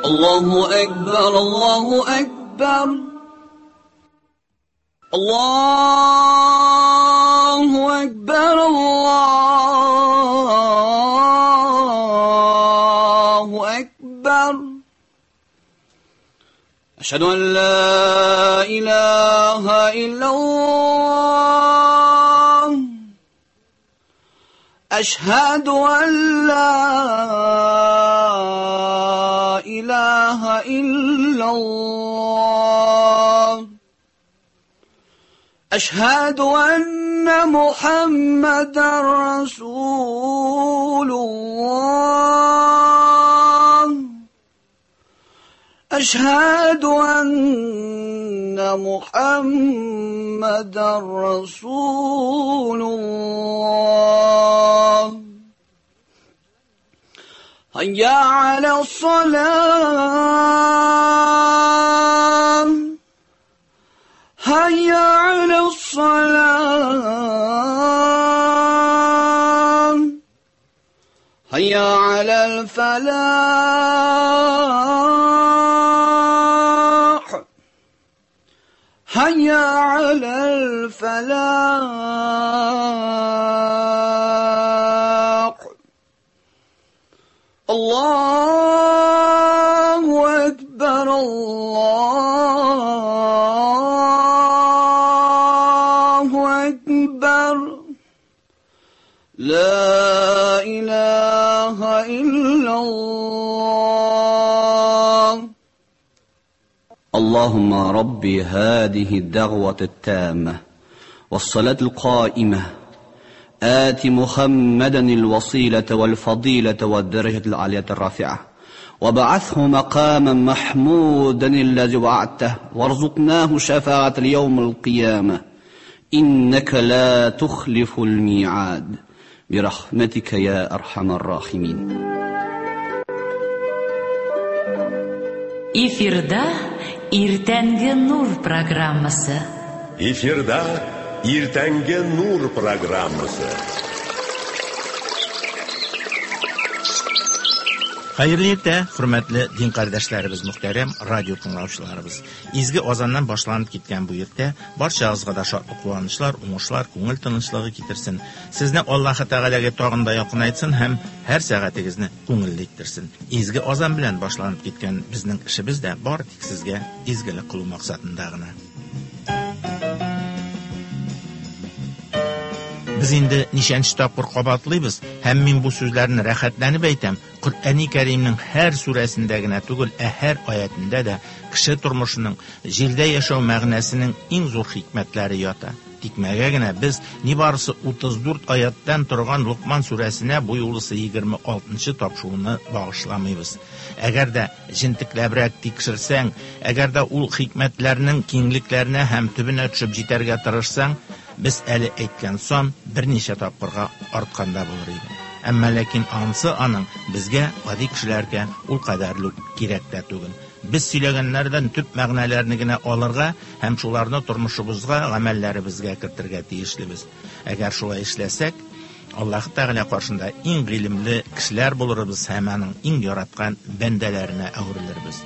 الله أكبر الله أكبر الله أكبر الله أكبر أشهد أن لا إله إلا الله أشهد أن لا إله إلا الله أشهد أن محمدا رسول الله أشهد أن محمدا رسول الله هيا على الصلاة هيا على الصلاة هيا على الفلاح هيا على الفلاح الله أكبر الله أكبر لا إله إلا الله اللهم ربي هذه الدعوة التامة والصلاة القائمة آت محمدا الوسيلة والفضيلة والدرجة العالية الرافعة وابعثه مقاما محمودا الذي وعدته وارزقناه شفاعة اليوم القيامة إنك لا تخلف الميعاد برحمتك يا أرحم الراحمين. Эфирда Иртәнге Нур программасы. Эфирда Иртәнге Нур программасы. Хәерле иртә, хөрмәтле дин кардәшләребез, мөхтәрәм радио тыңлаучыларыбыз. Изге азаннан башланып киткән бу иртә барчагызга да шатлык, куанычлар, уңышлар, күңел тынычлыгы китерсен. Сезне Аллаһы Тәгаләгә тагын да якынайтсын һәм һәр сәгатегезне күңелле иттерсен. Изге азан белән башланып киткән безнең эшебез дә бары тик сезгә изгелек кылу максатында гына. Без инде ничәнче тапкыр кабатлыйбыз, һәм мин бу сүзләрне рәхәтләнеп әйтәм. Коръәни Кәримнең һәр сүрәсендә генә түгел, ә һәр аятендә дә кеше тормышының, җирдә яшәү мәгънәсенең иң зур хикмәтләре ята. Тикмәгә генә без нибарысы 34 аяттан торган Лукман сүрәсенә бу юлысы 26-нчы тапшыруны багышламыйбыз. Әгәр дә җентекләбрәк тикшерсәң, әгәр дә ул хикмәтләрнең киңлекләренә һәм төбенә төшеп җитәргә тырышсаң, без әле әйткән сан берничә тапкырга артканда булыр иде. Әмма ләкин ансы аның безгә, гади кешеләргә, ул кадәрле үк кирәк тә түгел. Без сөйләгәннәрдән төп мәгънәләрне генә алырга һәм шуларны тормышыбызга, гамәлләребезгә кертергә тиешлебез. Әгәр шулай эшләсәк, Аллаһ Тәгалә каршында иң гыйлемле кешеләр булырбыз һәм аның иң яраткан бәндәләренә әверелербез.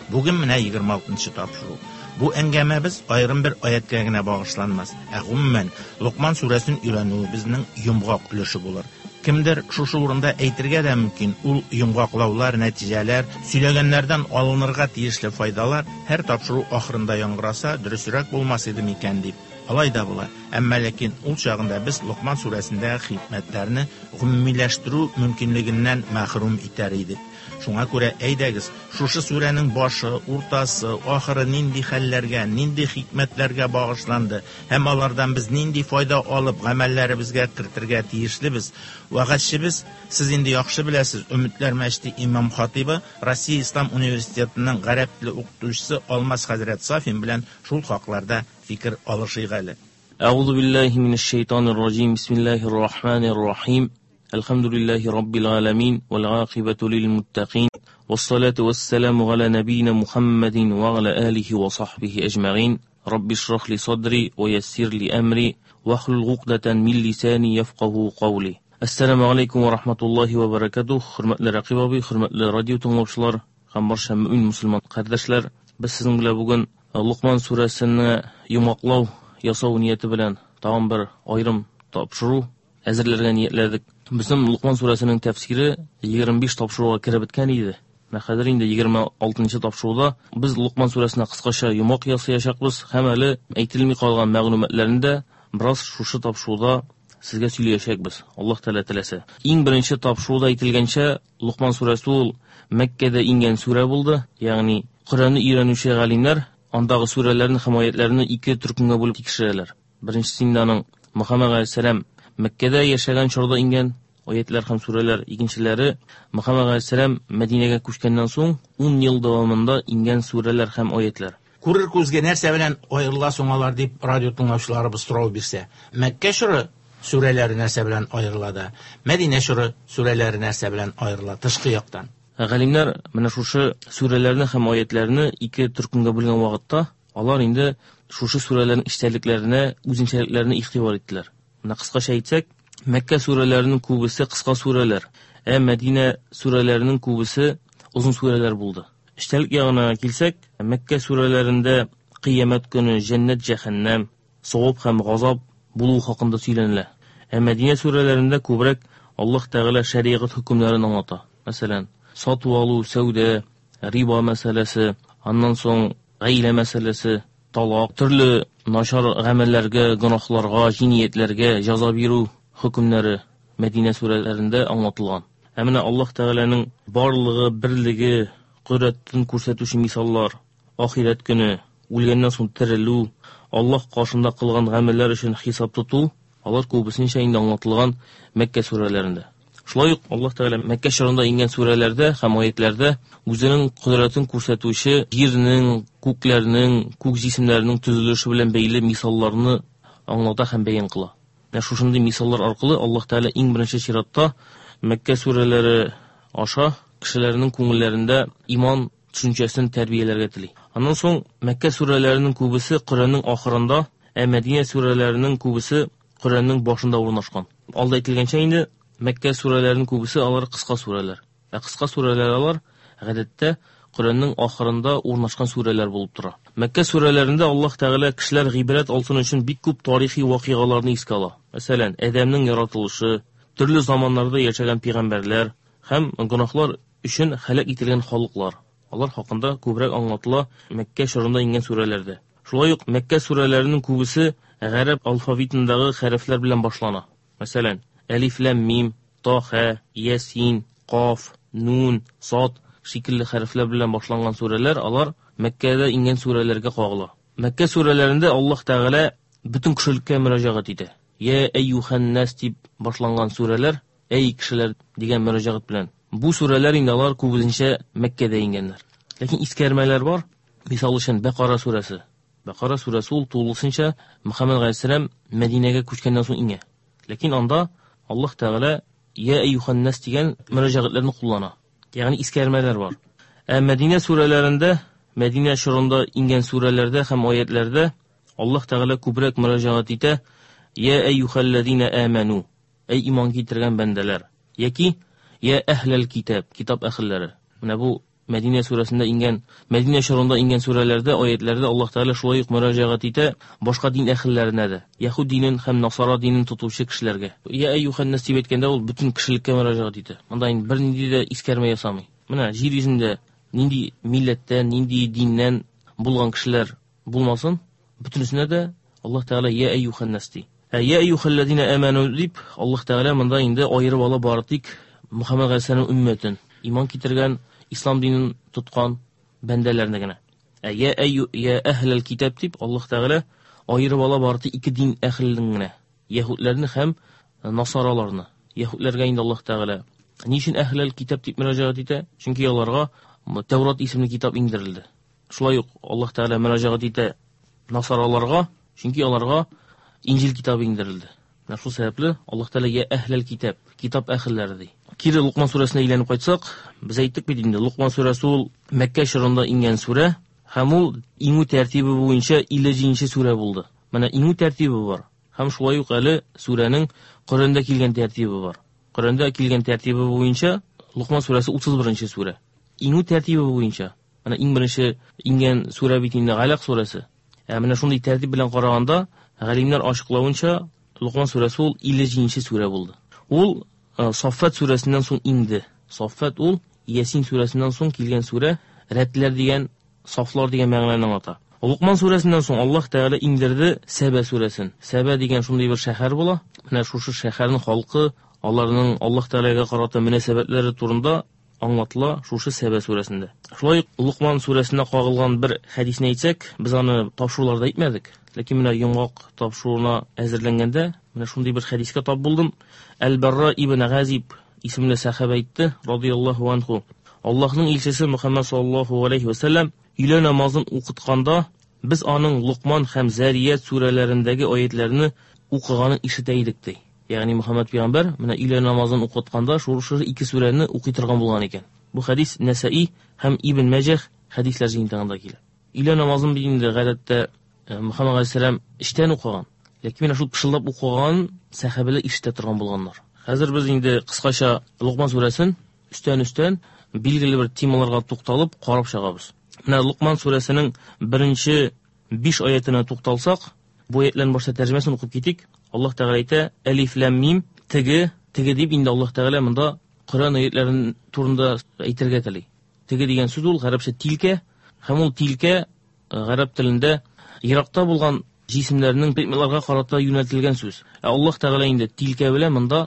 Бүген менә 26-нчы тапшыру. Бу әңгәмәбез аерым бер аяткә генә багышланмас, ә гомумән Лукман сүрәсен өйрәнүебезнең йомгак өлеше булыр. Кемдер шушы урында әйтергә дә мөмкин, ул йомгаклаулар, нәтиҗәләр, сөйләгәннәрдән алынырга тиешле файдалар һәр тапшыру ахырында яңгыраса, дөресрәк булмас иде микән дип. Алай да була. Әмма ләкин ул чагында без Лукман сүрәсендәге хикмәтләрне гомумиләштерү мөмкинлегеннән мәхрүм итәр идек. Шуңа күрә әйдәгез, шушы сүрәнең башы, уртасы, ахыры нинди хәлләргә, нинди хикмәтләргә багышланды һәм алардан без нинди файда алып гамәлләребезгә кертергә тиешлебез. Вәгазьчебез, сез инде яхшы беләсез, Өметләр мәчете имам хатибы, Россия Ислам университетының гарәп теле укытучысы Алмаз хәзрәт Сафин белән шул хакларда фикер алышыйк әле. Әгъузу биллаһи минәш шайтанир раҗим. Бисмиллаһир рахманир рахим. Әлхәмдүлиллаһи раббил аламин вәл гакыйбату лил муттакин. Вассалату вассаламу аля набийна Мухаммадин ва аля алихи ва сахбихи әҗмәгин. Рабби шрах ли садри ва яссир ли әмри вахлул гукдатан мин лисани яфкаху каули. Ассаламу алейкум ва рахматуллахи ва баракатух. Хөрмәтле Рәкыйп абый, хөрмәтле радио тыңлаучылар, һәм барча мөмин мусульман кардәшләр, без сезнең белән бүген Лукман сүрәсене йомгаклау ясау нияте белән тагын бер аерым тапшыру әзерләргә ниятләдек. Безнең Лукман сүрәсенең тәфсире 25 тапшыруга кереп беткән иде. Менә хәзер инде 26 тапшыруда без Лукман сүрәсенә кыскача йомгак ясаячакбыз һәм әле әйтелми калган мәгълүматларны да бераз шушы тапшыруда сезгә сөйләячәкбез. Аллаһ Тәгалә теләсә. Иң беренче тапшыруда әйтелгәнчә, Лукман сүрәсе ул Мәккәдә иңгән сүрә булды, ягъни Коръәнне өйрәнүче галимнәр андагы сүрәләрне һәм аятларны ике төркемгә бүлеп тикшерәләр. Беренчесе инде аның Мөхәммәд галәйһиссәлам Мәккәдә яшәгән чорда иңгән аятлар һәм сүрәләр, икенчеләре Мөхәммәд галәйһиссәлам Мәдинәгә күчкәннән соң 10 ел дәвамында иңгән сүрәләр һәм аятлар. Күрер күзгә нәрсә белән аерыла соң алар дип радио тыңлаучыларыбыз сорау бирсә. Мәккә чоры сүрәләре нәрсә белән аерыла да, Мәдинә чоры сүрәләре нәрсә белән аерыла тышкы яктан? Галимнәр менә шушы сүрәләрне һәм аятларны ике төркемгә бүлгән вакытта, алар инде шушы сүрәләрнең эчтәлекләренә, үзенчәлекләренә игътибар иттеләр. Менә кыскача әйтсәк, Мәккә сүрәләренең күбесе кыска сүрәләр, ә Мәдинә сүрәләренең күбесе озын сүрәләр булды. Эчтәлек ягына килсәк, Мәккә сүрәләрендә кыямәт көне, җәннәт, җәһәннәм, савап һәм газап булуы хакында сөйләнелә. Ә Мәдинә сүрәләрендә күбрәк Аллаһ Тәгалә шәригать хөкемнәрен аңлата. Мәсәлән, сату алу, сәүдә, риба мәсьәләсе, аннан соң гаилә мәсьәләсе, талак, төрле начар гамәлләргә, гөнаһларга, җинаятьләргә җәза бирү хөкемнәре Мәдинә сүрәләрендә аңлатылган. Ә менә Аллаһ Тәгаләнең барлыгы, берлеге, кодрәтен күрсәтүче мисаллар, ахирәт көне, үлгәннән соң терелү, Аллаһ каршында кылган гамәлләр өчен хисап тоту, алар күбесенчә инде аңлатылган Мәккә сүрәләрендә. Шулай ук Аллаһ Тәгалә Мәккә чорында иңгән сүрәләрдә һәм аятләрдә үзенең кодрәтен күрсәтүче җирнең, күкләрнең, күк җисемнәренең төзелеше белән бәйле мисалларны аңлата һәм бәян кыла. Менә шушындый мисаллар аркылы Аллаһ Тәгалә иң беренче чиратта Мәккә сүрәләре аша кешеләрнең күңелләрендә иман төшенчәсен тәрбияләргә тели. Аннан соң Мәккә сүрәләренең күбесе Коръәннең ахырында, ә Мәдинә сүрәләренең күбесе Коръәннең башында урнашкан. Алда әйтелгәнчә инде Мәккә сүрәләренең күбесе алар кыска сүрәләр. Ә кыска сүрәләр алар гадәттә Коръәннең ахырында урнашкан сүрәләр булып тора. Мәккә сүрәләрендә Аллаһ Тәгалә кешеләр гыйбрәт алсын өчен бик күп тарихи вакыйгаларны искә ала. Мәсәлән, Адәмнең яратылышы, төрле заманнарда яшәгән пәйгамбәрләр һәм гөнаһлар өчен һәлак ителгән халыклар. Алар хакында күбрәк аңлатыла Мәккә чорында иңгән сүрәләрдә. Шулай ук Мәккә сүрәләренең күбесе гарәп алфавитындагы хәрефләр белән башлана. Мәсәлән, әлиф ләм мим, та хә, ясин, каф, нун, сад шикелле хәрефләр белән башланган сүрәләр алар Мәккәдә иңгән сүрәләргә кагыла. Мәккә сүрәләрендә Аллаһ Тәгалә бөтен кешелеккә мөрәҗәгать итә. Я әйюһән-нас дип башланган сүрәләр, әй кешеләр дигән мөрәҗәгать белән. Бу сүрәләр инде алар күбесенчә Мәккәдә иңгәннәр. Ләкин искәрмәләр бар. Мисал өчен Бәкара сүрәсе. Бәкара сүрәсе ул тулысынча Мөхәммәд галәйһиссәлам Мәдинәгә күчкәннән соң иңә. Ләкин анда Аллаһ Тәгалә Я әйюһән-нас дигән мөрәҗәгатьләрне куллана. Ягъни искәрмәләр бар. Ә Мәдинә сүрәләрендә, Мәдинә чорында иңгән сүрәләрдә һәм аятләрдә Аллаһ Тәгалә күбрәк мөрәҗәгать итә: Я әйюһәлләзина аману, әй иман китергән бәндәләр, яки Я әһләл китап, китап әһелләре. Менә бу Мәдинә сүрәсендә иңгән, Мәдинә чорында иңгән сүрәләрдә, аятләрдә Аллаһ Тәгалә шулай ук мөрәҗәгать итә башка дин әһелләренә дә, яһүд динен һәм насара динен тотучы кешеләргә. Я әйюһән-нас дип әйткәндә ул бөтен кешелеккә мөрәҗәгать итә. Монда инде бернинди дә искәрмә ясамый. Менә җир йөзендә нинди милләттән, нинди диннән булган кешеләр булмасын, бөтенесенә дә Аллаһ Тәгалә я әйюһән-нас ди. Ә я әйюһәлләзина аману дип Аллаһ Тәгалә монда инде аерып ала бары тик Мөхәммәд галәйһиссәламнең өммәтен, иман китергән, ислам динен тоткан бәндәләрне генә. Ә я әйю я әһләл китап дип Аллаһ Тәгалә аерып ала бары тик ике дин әһелен генә, яһүдләрне һәм насараларны. Яһүдләргә инде Аллаһ Тәгалә ни өчен әһләл китап дип мөрәҗәгать итә? Чөнки аларга Тәүрат исемле китап иңдерелде. Шулай ук Аллаһ Тәгалә мөрәҗәгать итә насараларга, чөнки аларга Инҗил китабы иңдерелде. Менә шул сәбәпле Аллаһ Тәгалә я әһләл китап, китап әһелләре ди. Кире Лукман сүрәсенә әйләнеп кайтсак, без әйттек бит инде, Лукман сүрәсе ул Мәккә чорында иңгән сүрә һәм ул иңү тәртибе буенча 57 сүрә булды. Менә иңү тәртибе бар. Һәм шулай ук әле сүрәнең Коръәндә килгән тәртибе бар. Коръәндә килгән тәртибе буенча Лукман сүрәсе 31 сүрә. иңү тәртибе буенча, менә иң беренче иңгән сүрә бит инде Галәк сүрәсе. Ә менә шундый тәртип белән караганда, галимнәр ачыклавынча, Лукман сүрәсе ул 57 сүрә булды. Ул Саффат сүрәсеннән соң иңде. Саффат ул Ясин сүрәсеннән соң килгән сүрә, рәтләр дигән, сафлар дигән мәгънәне аңлата. Лукман сүрәсеннән соң Аллаһ Тәгалә иңдерде Сәбә сүрәсен. Сәбә дигән шундый бер шәһәр була. Менә шушы шәһәрнең халкы, аларның Аллаһ Тәгаләгә карата мөнәсәбәтләре турында аңлатыла шушы Сәбә сүрәсендә. Шулай ук Лукман сүрәсенә кагылган бер хәдисне әйтсәк, без аны тапшыруларда әйтмәдек. Ләкин менә йомгак тапшыруына әзерләнгәндә, менә шундый бер хәдискә тап булдым. Әл-Барра ибн Газиб исемле сәхабә әйтте, радияллаһу анху. Аллаһның илчесе Мөхәммәд саллаллаһу алейхи ва сәлләм өйлә намазын укытканда, без аның Лукман һәм Зәрият сүрәләрендәге аятләрне укыганын ишетә идек, ди. Ягъни Мөхәммәд пәйгамбәр менә өйлә намазын укытканда шушы ике сүрәне укый торган булган икән. Бу хәдис Нәсаи һәм Ибн Мәҗәх хәдисләр җыентыгында килә. Өйлә намазын бит инде гадәттә Мөхәммәд галәйһиссәлам эчтән укыган. Ләкин менә шул пышылдап укыган сәхабәләр ишетә торган булганнар. Хәзер без инде кыскача Лукман сүрәсен өстән-өстән билгеле бер темаларга тукталып карап чыгабыз. Менә Лукман сүрәсенең беренче 5 аятына тукталсак, бу аятларның башта тәрҗемәсен укып китик. Аллаһ Тәгалә әйтә: Әлиф ләм мим, теге, теге дип инде Аллаһ Тәгалә монда Коръән аятларын турында әйтергә тели. Теге дигән сүз ул гарәпчә тилкә, һәм ул тилкә гарәп телендә еракта булган җисемнәрнең предметларга карата юнәлтелгән сүз. Ә Аллаһ Тәгалә инде тилкә белән монда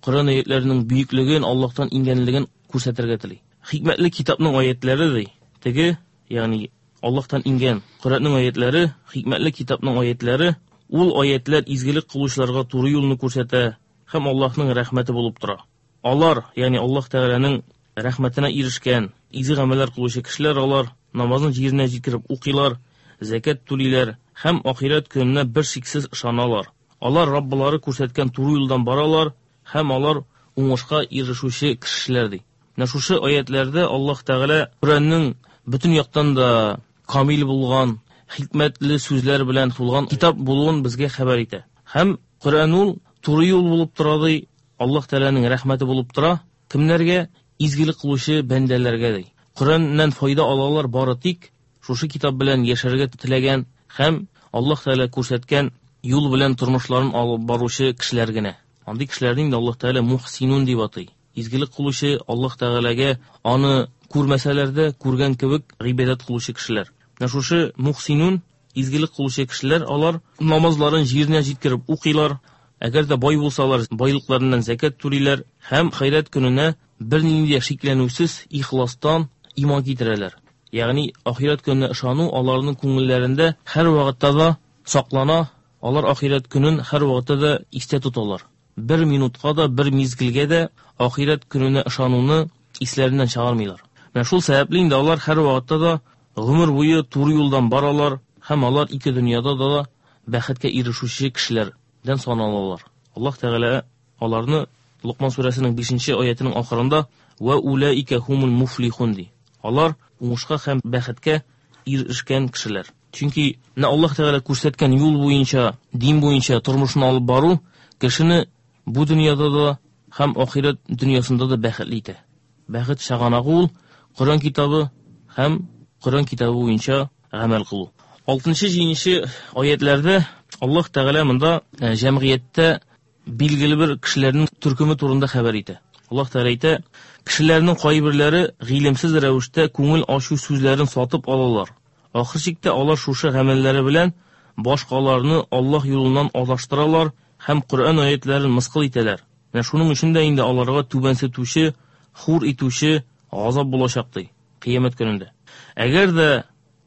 Коръән аятларының бөеклеген, Аллаһтан иңгәнлеген күрсәтергә тели. Хикмәтле китапның аятлары ди. Теге, ягъни Аллаһтан иңгән Коръәннең аятлары, хикмәтле китапның аятлары, ул аятлар изгелек кылучыларга туры юлны күрсәтә һәм Аллаһның рәхмәте булып тора. Алар, ягъни Аллаһ Тәгаләнең рәхмәтенә ирешкән, изге гамәлләр кылучы кешеләр, алар намазын җиренә җиткереп укыйлар, зәкят түлиләр һәм ахирәт көненә бер шиксез ышаналар. Алар Раббылары күрсәткән туры юлдан баралар һәм алар уңышка ирешүче кешеләр, ди. Менә шушы аятләрдә Аллаһ Тәгалә Коръәннең бөтен яктан да камил булган, хикмәтле сүзләр белән тулган китап булуын безгә хәбәр итә. Һәм Коръән ул туры юл булып тора, ди, Аллаһ Тәгаләнең рәхмәте булып тора. Кемнәргә? Изгелек кылучы бәндәләргә, ди. Коръәннән файда алалар бары тик шушы китап белән яшәргә теләгән һәм Аллаһ Тәгалә күрсәткән юл белән тормышларын алып баручы кешеләр генә. Андый кешеләрне инде Аллаһ Тәгалә мухсинун дип атый. Изгелек кылучы, Аллаһ Тәгаләгә аны күрмәсәләр дә, күргән кебек гыйбадәт кылучы кешеләр. Менә шушы мухсинун, изгелек кылучы кешеләр, алар намазларын җиренә җиткереп укыйлар, әгәр дә бай булсалар, байлыкларыннан зәкят түлиләр һәм хәйрәт көненә бернинди дә шикләнүсез ихластан иман китерәләр. Ягъни ахирәт көненә ышану аларның күңелләрендә һәр вакытта да саклана, алар ахирәт көнен һәр вакытта да истә тоталар. Бер минутка да, бер мизгелгә дә ахирәт көненә ышануны исләреннән чыгармыйлар. Менә шул сәбәпле инде алар һәр вакытта да гомер буе туры юлдан баралар һәм алар ике дөньяда да бәхеткә ирешүче кешеләрдән саналалар. Аллаһ Тәгалә аларны Лукман сүрәсенең 5 аятының ахырында «Ва улаика хумул муфлихун» ди. Алар уңышка һәм бәхеткә ирешкән кешеләр. Чөнки менә Аллаһ Тәгалә күрсәткән юл буенча, дин буенча тормышын алып бару кешене бу дөньяда да һәм ахирәт дөньясында да бәхетле итә. Бәхет чыганагы ул Коръән китабы һәм Коръән китабы буенча гамәл кылу. 6-7 аятларда Аллаһ Тәгалә монда җәмгыятьтә билгеле бер кешеләрнең төркеме турында хәбәр итә. Аллаһ Тәгалә әйтә, кешеләрнең кайберләре гыйлемсез рәвештә күңел ачу сүзләрен сатып алалар. Ахыр чиктә алар шушы гамәлләре белән башкаларны Аллаһ юлыннан адаштыралар һәм Коръән аятларын мыскыл итәләр. Менә шуның өчен дә инде аларга түбәнсетүче, хур итүче газап булачак, ди, кыямәт көнендә. Әгәр дә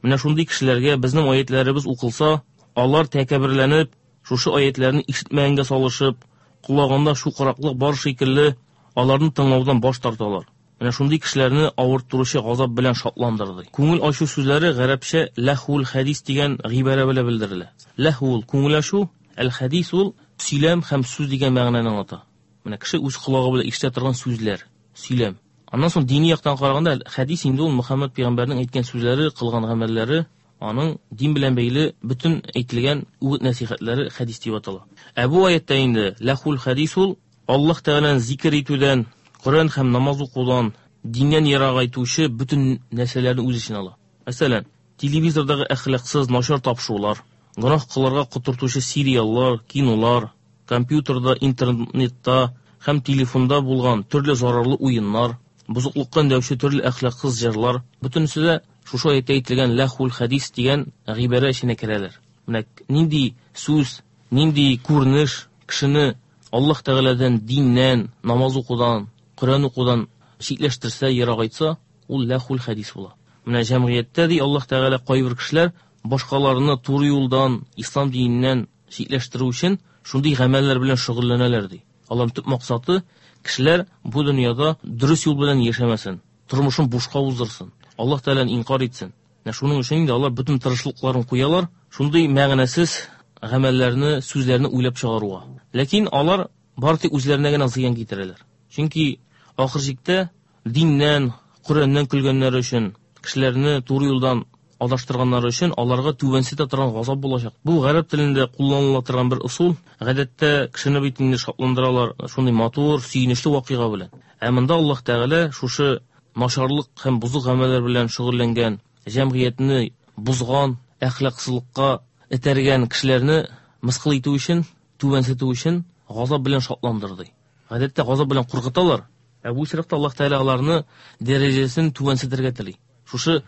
менә шундый кешеләргә безнең аятларыбыз укылса, алар тәкәбберләнеп, шушы аятларны ишетмәгәнгә салышып, колагында чукраклык бар шикелле, аларны тыңлаудан баш тарталар. Менә шундый кешеләрне авырттыручы газап белән шатландырды. Күңел ачу сүзләре гарәпчә ләхул хәдис дигән гыйбарә белән белдерелә. Ләхул күңел ачу, әл хәдис ул сөйләм һәм сүз дигән мәгънәне аңлата. Менә кеше үз колагы белән ишетә торган сүзләр, сөйләм. Аннан соң дини яктан караганда хәдис инде ул Мөхәммәд пәйгамбәрнең әйткән сүзләре, кылган гамәлләре, аның дин белән бәйле бөтен әйтелгән үгет нәсихәтләре хәдис дип атала. Ә бу аятта инде ләхул хәдис ул Аллаһ Тәгаләне зикер итүдән, Коръән һәм намаз укудан, диннән ерагайтучы бөтен нәрсәләрне үз эченә ала. Мәсәлән, телевизордагы әхлаксыз, начар тапшырулар, гөнаһ кылырга котыртучы сериаллар, кинолар, компьютерда, интернетта һәм телефонда булган төрле зарарлы уеннар, бозыклыкка өндәүче төрле әхлаксыз җырлар, бөтенесе дә шушы аятьтә әйтелгән ләхул хәдис дигән гыйбарә эченә керәләр. Менә нинди сүз, нинди күренеш кешене Аллаһ Тәгаләдән, диннән, намаз укудан, Коръән укудан читләштерсә, ерагайтса, ул ләхул хәдис була. Менә җәмгыятьтә ди Аллаһ Тәгалә кайбер кешеләр башкаларны туры юлдан, ислам диненнән читләштерү өчен шундый гамәлләр белән шөгыльләнәләр ди. Аларның төп максаты кешеләр бу дөньяда дөрес юл белән яшәмәсен, тормышын бушка уздырсын, Аллаһ Тәгаләне инкар итсен. Менә шуның өчен инде алар бөтен тырышлыкларын куялар, шундый мәгънәсез гамәлләрне, сүзләрне уйлап чыгаруга. Ләкин алар бары тик үзләренә генә зыян китерәләр. Чөнки ахыр чиктә диннән, Коръәннән көлгәннәре өчен, кешеләрне туры юлдан адаштырганнары өчен аларга түбәнсетә торган газап булачак. Бу гарәп телендә кулланыла торган бер ысул. Гадәттә кешене бит инде шатландыралар шундый матур, сөенечле вакыйга белән. Ә монда Аллаһ Тәгалә шушы начарлык һәм бозык гамәлләр белән шөгыльләнгән, җәмгыятьне бозган, әхлаксызлыкка этәргән кешеләрне мыскыл итү өчен, түбәнсетү өчен газап белән шатландырды. Гадәттә газап белән куркыталар. Ә бу очракта Аллаһ Тәгалә аларны дәрәҗәсен түбәнсетергә тели. Шушы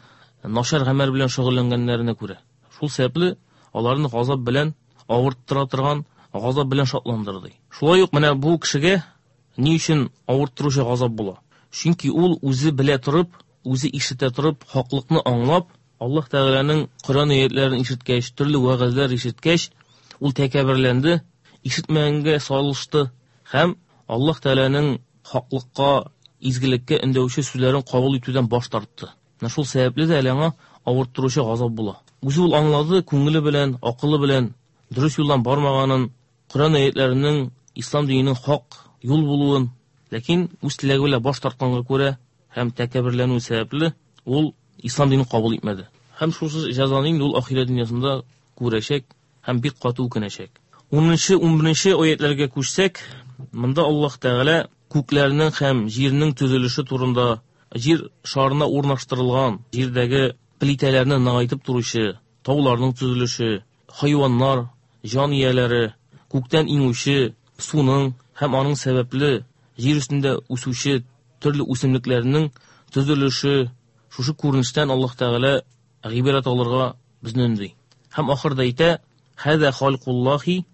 начар гамәл белән шөгыльләнгәннәренә күрә. Шул сәбәпле аларны газап белән авырттыра торган газап белән шатландырды. Шулай ук менә бу кешегә ни өчен авырттыручы газап була? Чөнки ул үзе белә торып, үзе ишетә торып, хаклыкны аңлап, Аллаһ Тәгаләнең Коръән аятларын ишеткәч, төрле вәгазьләр ишеткәч, ул тәкәбберләнде, ишетмәгәнгә салышты һәм Аллаһ Тәгаләнең хаклыкка, изгелеккә өндәүче сүзләрен кабул итүдән баш тартты. Менә шул сәбәпле дә әле аңа авырттыручы газап була. Үзе ул аңлады, күңеле белән, акылы белән дөрес юлдан бармаганын, Коръән аятларының ислам диненең хак юл булуын, ләкин үз теләге белән баш тартканга күрә һәм тәкәбберләнү сәбәпле ул ислам динен кабул итмәде. Һәм шушы җәзаны инде ул ахирәт дөньясында күрәчәк һәм бик каты үкенәчәк. 10-нчы, 11-нче аятларга күчсәк, монда Аллаһ Тәгалә күкләрнең һәм җирнең төзелеше турында, җир шарына урнаштырылган җирдәге плитәләрне ныгайтып торучы, тауларның төзелеше, хайваннар, җан ияләре, күктән иңүче суның һәм аның сәбәпле җир өстендә үсүче төрле үсемлекләрнең төзелеше, шушы күренештән Аллаһ Тәгалә гыйбрәт алырга безне өнди. Һәм ахырда әйтә: "Хәзә халкуллахи",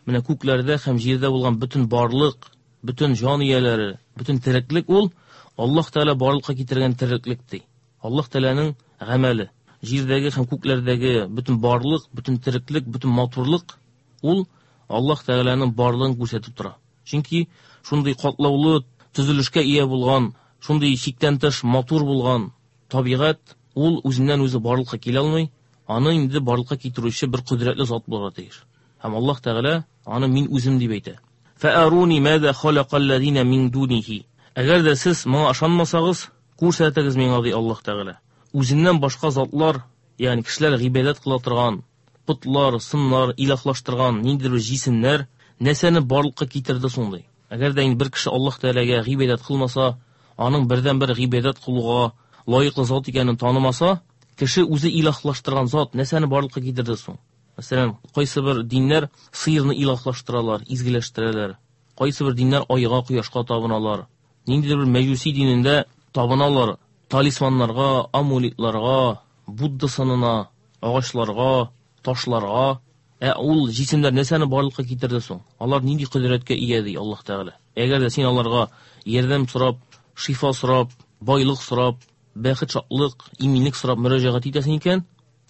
менә күкләрдә һәм җирдә булган бөтен барлык, бөтен җан ияләре, бөтен тереклек ул Аллаһ Тәгалә барлыкка китергән тереклек ди. Аллаһ Тәгаләнең гамәле. Җирдәге һәм күкләрдәге бөтен барлык, бөтен тереклек, бөтен матурлык ул Аллаһ Тәгаләнең барлыгын күрсәтеп тора. Чөнки шундый катлаулы төзелешкә ия булган, шундый чиктән тыш матур булган табигать ул үзеннән үзе барлыкка килә алмый, аны инде барлыкка китерүче бер кодрәтле зат булырга тиеш. Һәм Аллаһ Тәгалә аны мин үзем дип әйтә. Фәаруни маза халакаллазина мин дунихи. Әгәр дә сез моңа ышанмасагыз, күрсәтегез миңа, ди Аллаһ Тәгалә. Үзеннән башка затлар, ягъни кешеләр гыйбадәт кыла торган потлар, сыннар, илаһлаштырган ниндидер бер җисемнәр нәрсәне барлыкка китерде соң, ди. Әгәр дә инде бер кеше Аллаһ Тәгаләгә гыйбадәт кылмаса, аның бердәнбер гыйбадәт кылуга лаеклы зат икәнен танымаса, кеше үзе илаһлаштырган зат нәрсәне барлыкка китерде соң? Мәсәлән, кайсы бер диннәр сыерны илаһлаштыралар, изгеләштерәләр. Кайсы бер диннәр айга, кояшка табыналар. Ниндидер бер мәҗүси динендә табыналар талисманнарга, амулетларга, Будда сынына, агачларга, ташларга. Ә ул җисемнәр нәрсәне барлыкка китерде соң? Алар нинди кодрәткә ия, ди Аллаһ Тәгалә. Әгәр дә син аларга ярдәм сорап, шифа сорап, байлык сорап, бәхет, шатлык, иминлек сорап мөрәҗәгать итәсең икән,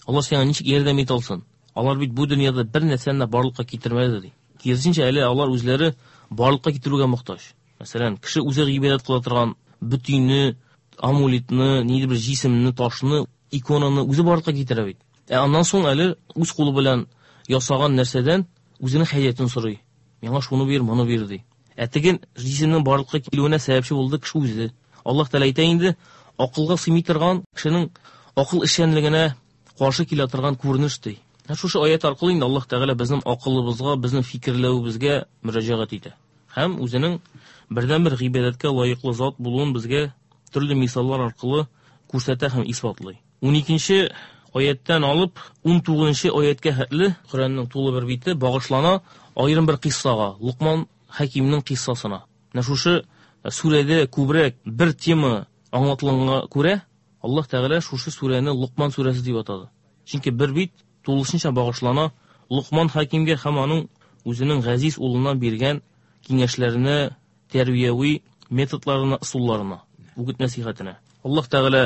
алар сиңа ничек ярдәм итә алсын? Алар бит бу дөньяда бер нәрсәне дә барлыкка китермәде, ди. Киресенчә, әле алар үзләре барлыкка китерүгә мохтаҗ. Мәсәлән, кеше үзе гыйбадәт кыла торган бөтенне, амулетны, ниндидер бер җисемне, ташны, иконаны үзе барлыкка китерә бит. Ә аннан соң әле үз кулы белән ясаган нәрсәдән үзенең хаҗәтен сорый. Миңа шуны бир, моны бир, ди. Ә теге җисемнең барлыкка килүенә сәбәпче булды кеше үзе. Аллаһ Тәгалә әйтә инде, акылга сыймый торган кешенең акыл эшчәнлегенә каршы килә торган күренеш, ди. Һәм шушы аят аркылы инде Аллаһ Тәгалә безнең акылыбызга, безнең фикерләвебезгә мөрәҗәгать итә. Һәм үзенең бердәнбер гыйбадәткә лаеклы зат булуын безгә төрле мисаллар аркылы күрсәтә һәм исбатлый. 12 аяттан алып 19 аяткә хәтле Коръәннең тулы бер бите багышлана аерым бер кыйссага, Лукман Хәкимнең кыйссасына. Менә шушы сүрәдә күбрәк бер тема аңлатылганга күрә, Аллаһ Тәгалә шушы сүрәне Лукман сүрәсе дип атады. Чөнки бер бит тулысынча багышлана Лукман Хәкимгә һәм аның үзенең газиз улына биргән киңәшләренә, тәрбияви методларына, ысулларына, үгет нәсихәтенә. Аллаһ Тәгалә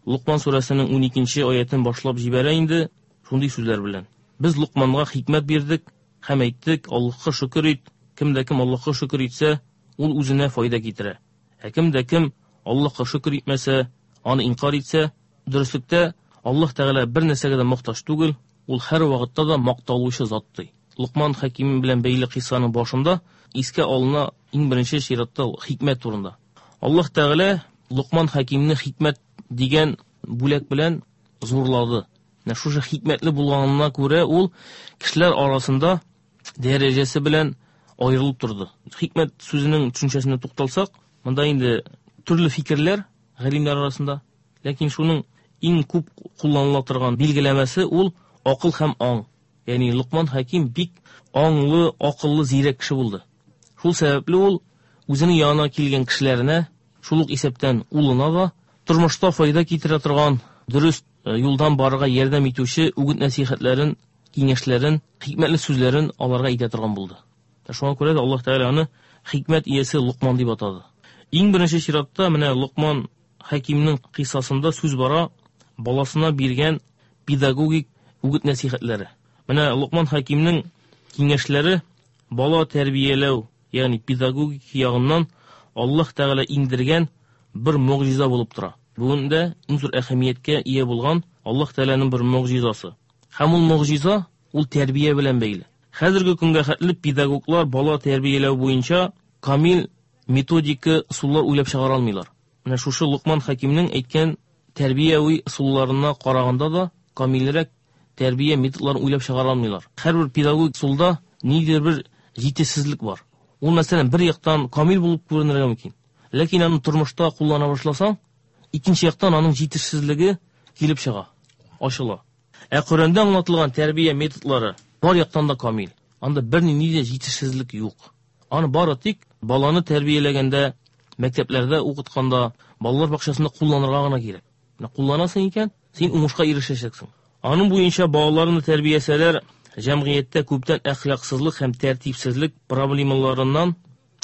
Лукман сүрәсенең 12 аятен башлап җибәрә инде шундый сүзләр белән. Без Лукманга хикмәт бирдек һәм әйттек, Аллаһка шөкер ит, кем дә кем Аллаһка шөкер итсә, ул үзенә файда китерә. Ә кем дә кем Аллаһка шөкер итмәсә, аны инкар итсә, дөреслектә Аллаһ Тәгалә бер нәрсәгә дә мохтаҗ түгел, ул һәр вакытта да макталучы зат ди. Лукман Хәким белән бәйле кыйссаның башында искә алына иң беренче чиратта хикмәт турында. Аллаһ Тәгалә Лукман Хәкимне хикмәт дигән бүләк белән зурлады. Менә шушы хикмәтле булганына күрә ул кешеләр арасында дәрәҗәсе белән аерылып торды. Хикмәт сүзенең төшенчәсенә тукталсак, монда инде төрле фикерләр галимнәр арасында, ләкин шуның иң күп кулланыла торган билгеләмәсе ул акыл һәм аң. Ягъни Лукман Хәким бик аңлы, акыллы, зирәк кеше булды. Шул сәбәпле ул үзенең янына килгән кешеләренә, шул ук исәптән улына да, тормышта файда китерә торган, дөрес юлдан барырга ярдәм итүче үгет нәсихәтләрен, киңәшләрен, хикмәтле сүзләрен аларга әйтә торган булды. Шуңа күрә дә Аллаһ Тәгалә аны хикмәт иясе Лукман дип атады. Иң беренче чиратта менә Лукман Хәкимнең кыйссасында сүз бара баласына биргән педагогик үгет нәсихәтләре. Менә Лукман Хәкимнең киңәшләре бала тәрбияләү, ягъни педагогик ягыннан Аллаһ Тәгалә иңдергән бер могҗиза булып тора. Бүген дә иң зур әһәмияткә ия булган Аллаһ Тәгаләнең бер могҗизасы. Һәм ул могҗиза ул тәрбия белән бәйле. Хәзерге көнгә хәтле педагоглар бала тәрбияләү буенча камил методика ысуллар уйлап чыгара алмыйлар. Менә шушы Лукман Хәкимнең әйткән тәрбияви ысулларына караганда да камилрәк тәрбия методларын уйлап чыгара алмыйлар. Һәрбер педагогик ысулда ниндидер бер җитешсезлек бар. Ул, мәсәлән, бер яктан камил булып күренергә мөмкин. Ләкин аны тормышта куллана башласаң, икенче яктан аның җитешсезлеге килеп чыга, ачыла. Ә Коръәндә аңлатылган тәрбия методлары бар яктан да камил. Анда бернинди дә җитешсезлек юк. Аны бары тик баланы тәрбияләгәндә, мәктәпләрдә укытканда, балалар бакчасында кулланырга гына кирәк. Менә кулланасың икән, син уңышка ирешәчәксең. Аның буенча балаларны тәрбиясәләр, җәмгыятьтә күптән әхлаксызлык һәм тәртипсезлек проблемаларыннан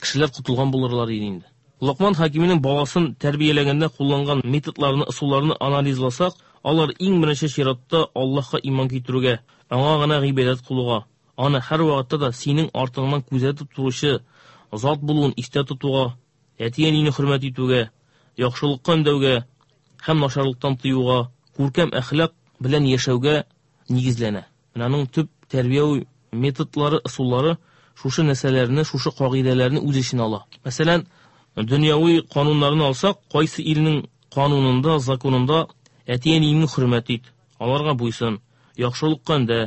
кешеләр котылган булырлар иде инде. Локман Хәкиминең баласын тәрбияләгәндә кулланган методларны, ысулларны анализласак, алар иң беренче чиратта Аллаһка иман китерүгә, аңа гына гыйбадәт кылуга, аны һәрвакытта да синең артыңнан күзәтеп торучы зат булуын истә тотуга, әти-әнине хөрмәт итүгә, яхшылыкка өндәүгә һәм начарлыктан тыюга, күркәм әхлак белән яшәүгә нигезләнә. Менә аның төп тәрбияви методлары, ысуллары шушы нәрсәләрне, шушы кагыйдәләрне үз эченә ала. Мәсәлән, дөньяви кануннарны алсак, кайсы илнең канунында, законында әти-әниеңне хөрмәт ит, аларга буйсын, яхшылыкка өндә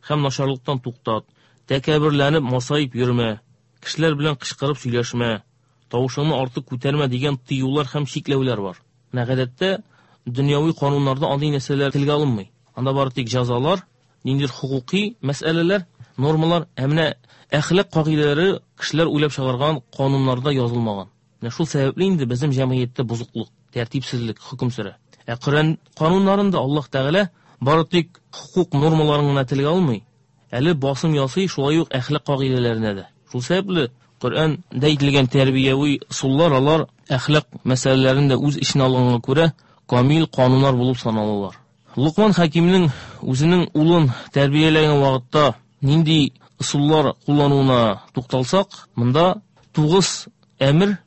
һәм начарлыктан туктат, тәкәбберләнеп, масаеп йөрмә, кешеләр белән кычкырып сөйләшмә, тавышыңны артык күтәрмә дигән тыюлар һәм чикләүләр бар. Менә гадәттә дөньяви кануннарда андый нәрсәләр телгә алынмый. Анда бары тик җәзалар, ниндидер хокукый мәсьәләләр, нормалар, ә менә әхлак кагыйдәләре кешеләр уйлап чыгарган кануннарда язылмаган. Менә шул сәбәпле инде безнең җәмгыятьтә бозыклык, тәртипсезлек хөкем сөрә. Ә Коръән кануннарында Аллаһ Тәгалә бары тик хокук нормаларын гына телгә алмый, әле басым ясый шулай ук әхлак кагыйдәләренә дә. Шул сәбәпле Коръәндә әйтелгән тәрбияви ысуллар алар әхлак мәсьәләләрен дә үз эченә алганга күрә камил кануннар булып саналалар. Лукман Хәкимнең үзенең улын тәрбияләгән вакытта нинди ысуллар куллануына тукталсак, монда 9 әмер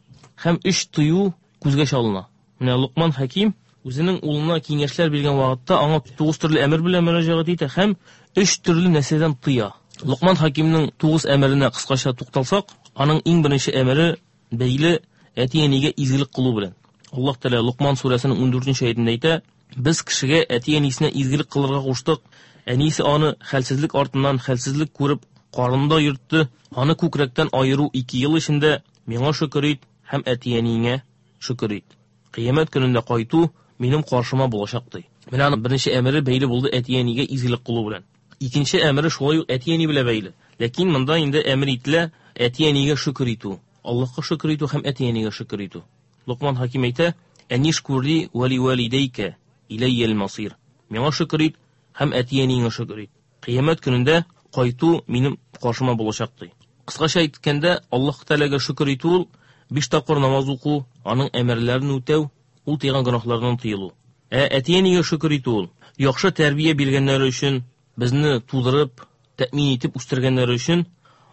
һәм 3 тыю күзгә чалына. Менә Лукман Хәким үзенең улына киңәшләр биргән вакытта аңа 9 төрле әмер белән мөрәҗәгать итә һәм 3 төрле нәрсәдән тыя. Лукман Хәкимнең 9 әмеренә кыскача тукталсак, аның иң беренче әмере бәйле әти-әнигә изгелек кылу белән. Аллаһ Тәгалә Лукман сүрәсенең 14-нче аятендә әйтә: "Без кешегә әти-әнисенә изгелек кылырга куштык. Әнисе аны хәлсезлек артыннан хәлсезлек күреп карынында йөртте. Аны күкрәктән аеру 2 ел эчендә миңа шөкер ит һәм әти-әниеңә шөкер ит." Кыямәт көнендә кайту минем каршыма булачак, ди. Менә аның беренче әмере бәйле булды әти-әнигә изгелек кылу белән. Икенче әмере шулай ук әти-әни белән бәйле. Ләкин монда инде әмер ителә әти-әнигә шөкер итү. Аллаһка шөкер итү һәм әти-әнигә шөкер итү. Локман Хаким әйтә: "Әнишкурли ва ли валидейка иләйял масир." Миңа шөкер ит һәм әти-әниеңә шөкер ит. Кыямәт көнендә кайту минем каршыма булачак, ди. Кыскача әйткәндә, Аллаһ Тәгаләгә шөкер итү ул 5 тапкыр намаз уку, аның әмерләрен үтәү, ул тыйган гөнаһлардан тыелу. Ә әти-әнигә шөкер итү ул яхшы тәрбия биргәннәре өчен, безне тудырып, тәэмин итеп үстергәннәре өчен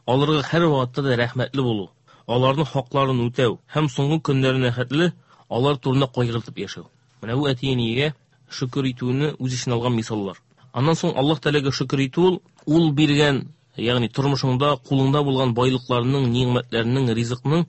аларга һәр вакытта да рәхмәтле булу, аларның хакларын үтәү һәм соңгы көннәренә хәтле алар турында кайгыртып яшәү. Менә бу әти-әнигә шөкер итүне үз эченә алган мисаллар. Аннан соң Аллаһ Тәгаләгә шөкер итү ул, ул биргән, ягъни тормышыңда, кулыңда булган байлыкларның, ни'мәтләрнең, ризыкның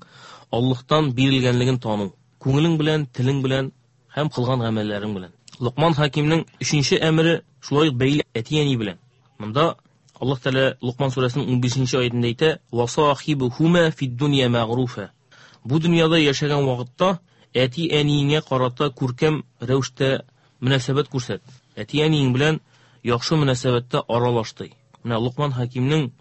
Аллаһтан бирелгәнлеген тану. Күңелең белән, телең белән һәм кылган гамәлләрең белән. Локман Хакимнең өченче әмере шулай ук бәйле әти-әни белән. Монда Аллаһ Тәгалә Локман сүрәсенең 15нче аятендә әйтә: "Васахибухума фид-дунья мәгъруфа." Бу дөньяда яшәгән вакытта әти-әниеңә карата күркәм рәвештә мөнәсәбәт күрсәт. Әти-әниең белән яхшы мөнәсәбәттә аралаш, ди. Менә Локман Хакимнең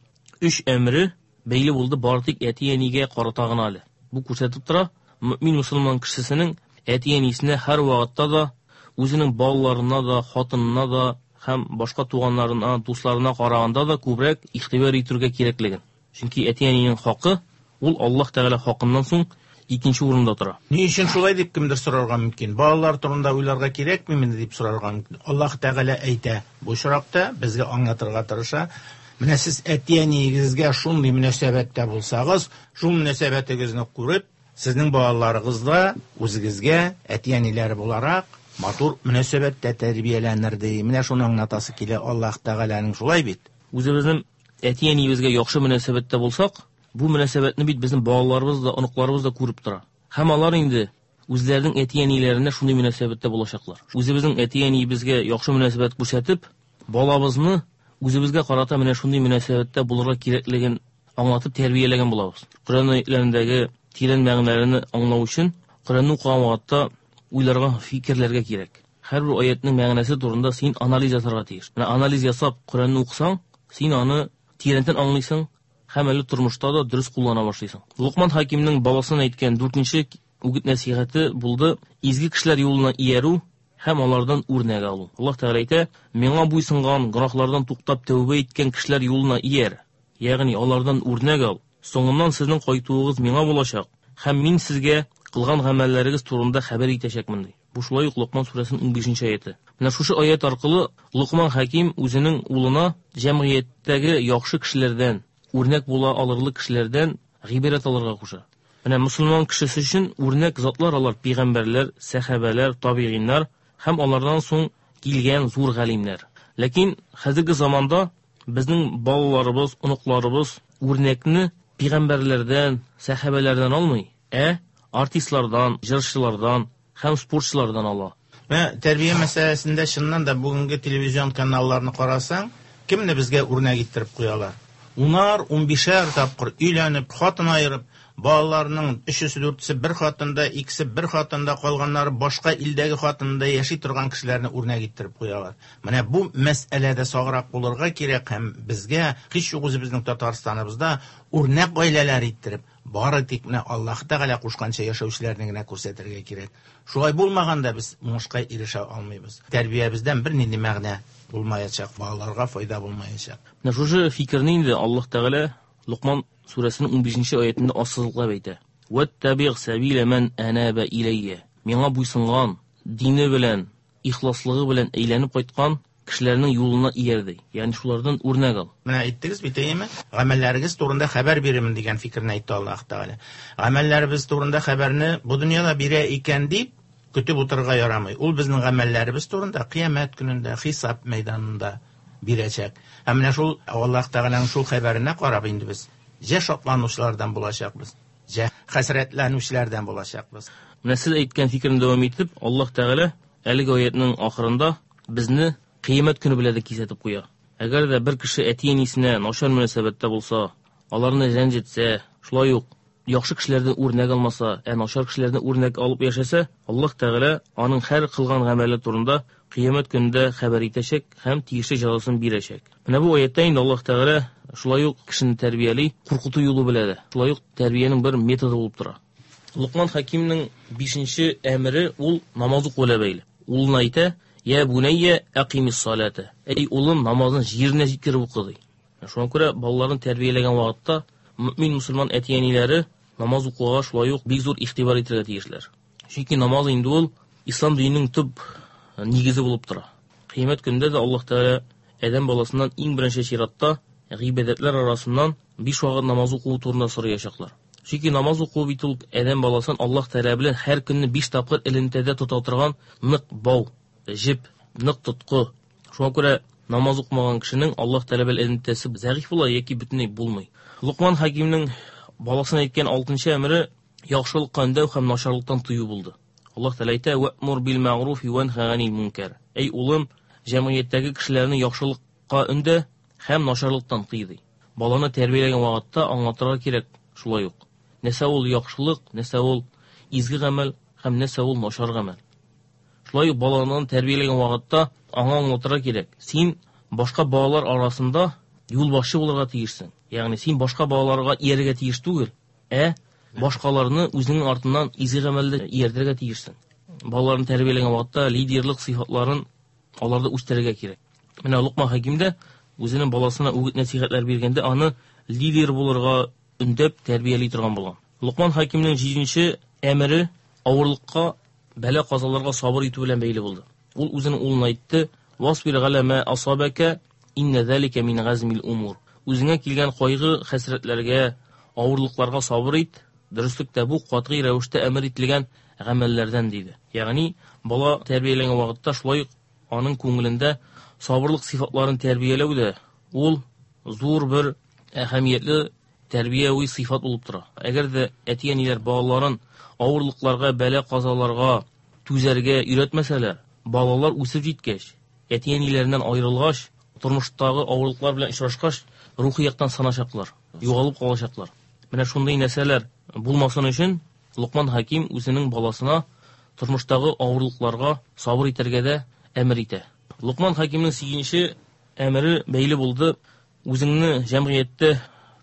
өч әмере бәйле булды бары тик әти-әнигә карата гына әле. Бу күрсәтеп тора, мөмин мусульман кешесенең әти-әнисенә һәр вакытта да үзенең балаларына да, хатынына да һәм башка туганнарына, дусларына караганда да күбрәк игътибар итәргә кирәклеген. Чөнки әти-әнинең хакы ул Аллаһ Тәгалә хакыннан соң икенче урында тора. Ни өчен шулай дип кемдер сорарга мөмкин? Балалар турында уйларга кирәкмиме дип сорарга мөмкин. Аллаһ Тәгалә әйтә. Бу очракта безгә аңлатырга тырыша. Менә сез әти-әниегезгә шундый мөнәсәбәттә булсагыз, шул мөнәсәбәтегезне күреп, сезнең балаларыгыз да үзегезгә әти-әниләре буларак матур мөнәсәбәттә тәрбияләнер ди. Менә шуны аңлатасы килә Аллаһ Тәгаләнең, шулай бит? Үзебезнең әти-әниебезгә яхшы мөнәсәбәттә булсак, бу мөнәсәбәтне бит безнең балаларыбыз да, оныкларыбыз да күреп тора. Һәм алар инде үзләренең әти-әниләренә шундый мөнәсәбәттә булачаклар. Үзебезнең әти-әниебезгә яхшы мөнәсәбәт күрсәтеп, балабызны үзебезгә карата менә шундый мөнәсәбәттә булырга кирәклеген аңлатып тәрбияләгән булабыз. Коръән аятларындагы тирән мәгънәләрне аңлау өчен Коръәнне укыган вакытта уйларга, фикерләргә кирәк. Һәрбер аятның мәгънәсе турында син анализ ясарга тиеш. Менә анализ ясап Коръәнне укысаң, син аны тирәнтен аңлыйсың һәм әле тормышта да дөрес куллана башлыйсың. Локман Хакимнең баласына әйткән дүртенче үгет нәсихәте булды: изге кешеләр юлына иярү һәм алардан үрнәк алу. Аллаһ Тәгалә әйтә: "Миңа буйсынган, гөнаһлардан туктап тәүбә иткән кешеләр юлына ияр, ягъни алардан үрнәк ал. Соңыннан сезнең кайтуыгыз миңа булачак, һәм мин сезгә кылган гамәлләрегез турында хәбәр итәчәкмен", ди. Бу шулай ук Локман сүрәсенең 15нче аяты. Менә шушы аят аркылы Локман Хаким үзенең улына җәмгыятьтәге яхшы кешеләрдән, үрнәк була алырлык кешеләрдән гыйбрәт алырга куша. Менә мусульман кешесе өчен үрнәк затлар алар пәйгамбәрләр, сәхабәләр, табигыйннар һәм алардан соң килгән зур галимнәр. Ләкин хәзерге заманда безнең балаларыбыз, оныкларыбыз үрнәкне пәйгамбәрләрдән, сәхабәләрдән алмый, ә артистлардан, җырчылардан һәм спортчылардан ала. Менә тәрбия мәсьәләсендә чыннан да бүгенге телевизион каналларны карасаң, кемне безгә үрнәк иттереп куялар? Унар, унбишәр тапкыр өйләнеп, хатын аерып, балаларының өчесе, дүртесе бер хатында, икесе бер хатында, калганнары башка илдәге хатында яши торган кешеләрне үрнәк иттереп куялар. Менә бу мәсьәләдә саграк булырга кирәк һәм безгә һич юк үзебезнең Татарстаныбызда үрнәк гаиләләр иттереп, бары тик менә Аллаһ Тәгалә кушканча яшәүчеләрне генә күрсәтергә кирәк. Шулай булмаганда без уңышка ирешә алмыйбыз. Тәрбиябездән бернинди мәгънә булмаячак, балаларга файда булмаячак. Менә шушы фикерне инде Аллаһ Тәгалә Локман сүрәсенең 15нче аятында ассызыклап әйтә. Ваттабигъ сабила ман анаба иләйя. Миңа буйсынган, дине белән, ихласлыгы белән әйләнеп кайткан кешеләрнең юлына ияр, ди. Ягъни шулардан үрнәк ал. Менә әйттегез бит, әйеме? Гамәлләрегез турында хәбәр бирермен дигән фикерне әйтте Аллаһ Тәгалә. Гамәлләребез турында хәбәрне бу дөньяда бирә икән дип көтеп утырырга ярамый. Ул безнең гамәлләребез турында кыямәт көнендә, хисап мәйданында бирәчәк. Һәм менә шул Аллаһ Тәгаләнең шул хәбәренә карап инде без җә шатланучылардан булачакбыз, җә хәсрәтләнүчеләрдән булачакбыз. Менә сез әйткән фикерне дәвам итеп, Аллаһ Тәгалә әлеге аятның ахырында безне кыямәт көне белән дә кисәтеп куя. Әгәр дә бер кеше әти-әнисенә начар мөнәсәбәттә булса, аларны рәнҗетсә, шулай ук яхшы кешеләрдән үрнәк алмаса, ә начар кешеләрдән үрнәк алып яшәсә, Аллаһ Тәгалә аның һәр кылган гамәле турында кыямәт көнендә хәбәр итәчәк һәм тиешле җәзасын бирәчәк. Менә бу аятта инде Аллаһ Тәгалә шулай ук кешене тәрбияли, куркыту юлы белә дә. Шулай ук тәрбиянең бер методы булып тора. Локман Хәкимнең бишенче әмере ул намаз уку белән бәйле. Улына әйтә: "Я бунайя, акимис салата." Әй улым, намазны җиренә җиткереп укы, ди. Шуңа күрә балаларын тәрбияләгән вакытта мөмин мусульман әти-әниләре намаз укуга шулай ук бик зур игътибар итәргә тиешләр. Чөнки намаз инде ул ислам диненең төп нигезе булып тора. Кыямәт көнендә дә Аллаһ Тәгалә адәм баласыннан иң беренче чиратта гыйбадәтләр арасыннан биш вакыт намаз уку турында сораячаклар. Чөнки намаз уку бит ул адәм баласын Аллаһ Тәгалә белән һәр көнне биш тапкыр элемтәдә тота торган нык бау, җеп, нык тоткы. Шуңа күрә намаз укымаган кешенең Аллаһ Тәгалә белән элемтәсе зәгыйфь була яки бөтенләй булмый. Лукман Хәкимнең баласына әйткән алтынчы әмере яхшылыкка өндәү һәм начарлыктан тыю булды. Аллаһ Тәгалә әйтә: "Вәмур бил мәгъруф ванха ганил мункар." Әй улым, җәмгыятьтәге кешеләрне яхшылыкка өндә һәм начарлыктан тый, ди. Баланы тәрбияләгән вакытта аңлатырга кирәк шулай ук. Нәрсә ул яхшылык, нәрсә ул изге гамәл һәм нәрсә ул начар гамәл. Шулай ук баланы тәрбияләгән вакытта аңа аңлатырга кирәк. Син башка балалар арасында юлбашчы булырга тиешсең. Ягъни син башка балаларга иярергә тиеш түгел, ә башкаларны үзеңнең артыннан изге гамәлдә ияртергә тиешсең. Балаларны тәрбияләгән вакытта лидерлык сыйфатларын аларда үстерергә кирәк. Менә Лукман Хәким дә үзенең баласына үгет-нәсихәтләр биргәндә аны лидер булырга өндәп тәрбияли торган булган. Лукман Хәкимнең җиденче әмере авырлыкка, бәла-казаларга сабыр итү белән бәйле булды. Ул үзенең улына әйтте: "Васбир галя ма асабака, инна залика мин газмил умур." Үзеңә килгән кайгы, хәсрәтләргә, авырлыкларга сабыр ит, дөреслектә бу катгый рәвештә әмер ителгән гамәлләрдән, диде. Ягъни бала тәрбияләнгән вакытта шулай ук аның күңелендә сабырлык сыйфатларын тәрбияләү дә ул зур бер әһәмиятле тәрбияви сыйфат булып тора. Әгәр дә әти-әниләр балаларын авырлыкларга, бәла-казаларга түзәргә өйрәтмәсәләр, балалар үсеп җиткәч, әти-әниләреннән аерылгач, тормыштагы авырлыклар белән очрашкач, рухи яктан сыначаклар, югалып калачаклар. Менә шундый нәрсәләр булмасын өчен Лукман Хәким үзенең баласына тормыштагы авырлыкларга сабыр итәргә дә әмер итә. Лукман Хәкимнең сигезенче әмере бәйле булды үзеңне җәмгыятьтә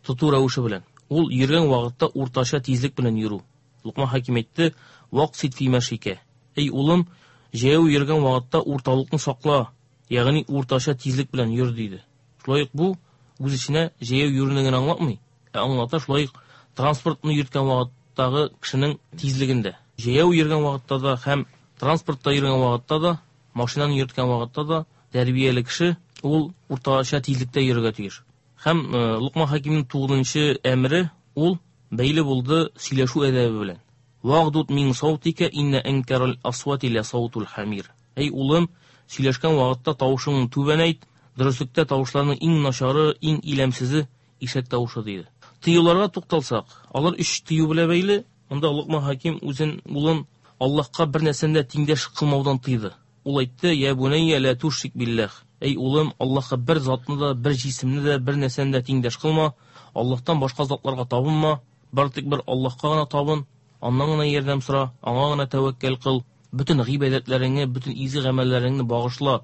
тоту рәвеше белән. Ул йөргән вакытта уртача тизлек белән йөрү. Лукман Хәким әйтте: "Ваксит фи мәшикә." Эй улым, җәяү йөргән вакытта урталыкны сакла, ягъни уртача тизлек белән йөр, диде. Шулай ук бу үз эченә җәяү йөрүне генә аңлатмый, ә аңлата шулай ук транспортны йөрткән вакыттагы кешенең тизлегендә. Җәяү йөргән вакытта да һәм транспортта йөргән вакытта да, машинаны йөрткән вакытта да тәрбияле кеше ул уртача тизлектә йөрергә тиеш. Һәм Лукман Хәкимнең тугызынчы әмере ул бәйле булды сөйләшү әдәбе белән. Вагдут мин саутика инна анкарал асвати ла саутул хамир. Әй улым, сөйләшкән вакытта тавышыңны түбәнәйт, дөреслектә тавышларның иң начары, иң иләмсезе ишәк тавышы, диде. Тыюларга тукталсак, алар өч тыю белән бәйле. Монда Лукман Хәким үзен улын Аллаһка бер нәрсәне дә тиңдәш кылмаудан тыйды. Ул әйтте: "Я бунайя, ла тушрик биллах." Әй улым, Аллаһка бер затны да, бер җисемне дә, бер нәрсәне дә тиңдәш кылма. Аллаһтан башка затларга табынма, бары тик бер Аллаһка гына табын, аннан гына ярдәм сора, аңа гына тәвәккәл кыл. Бөтен гыйбадәтләреңне, бөтен изге гамәлләреңне багышла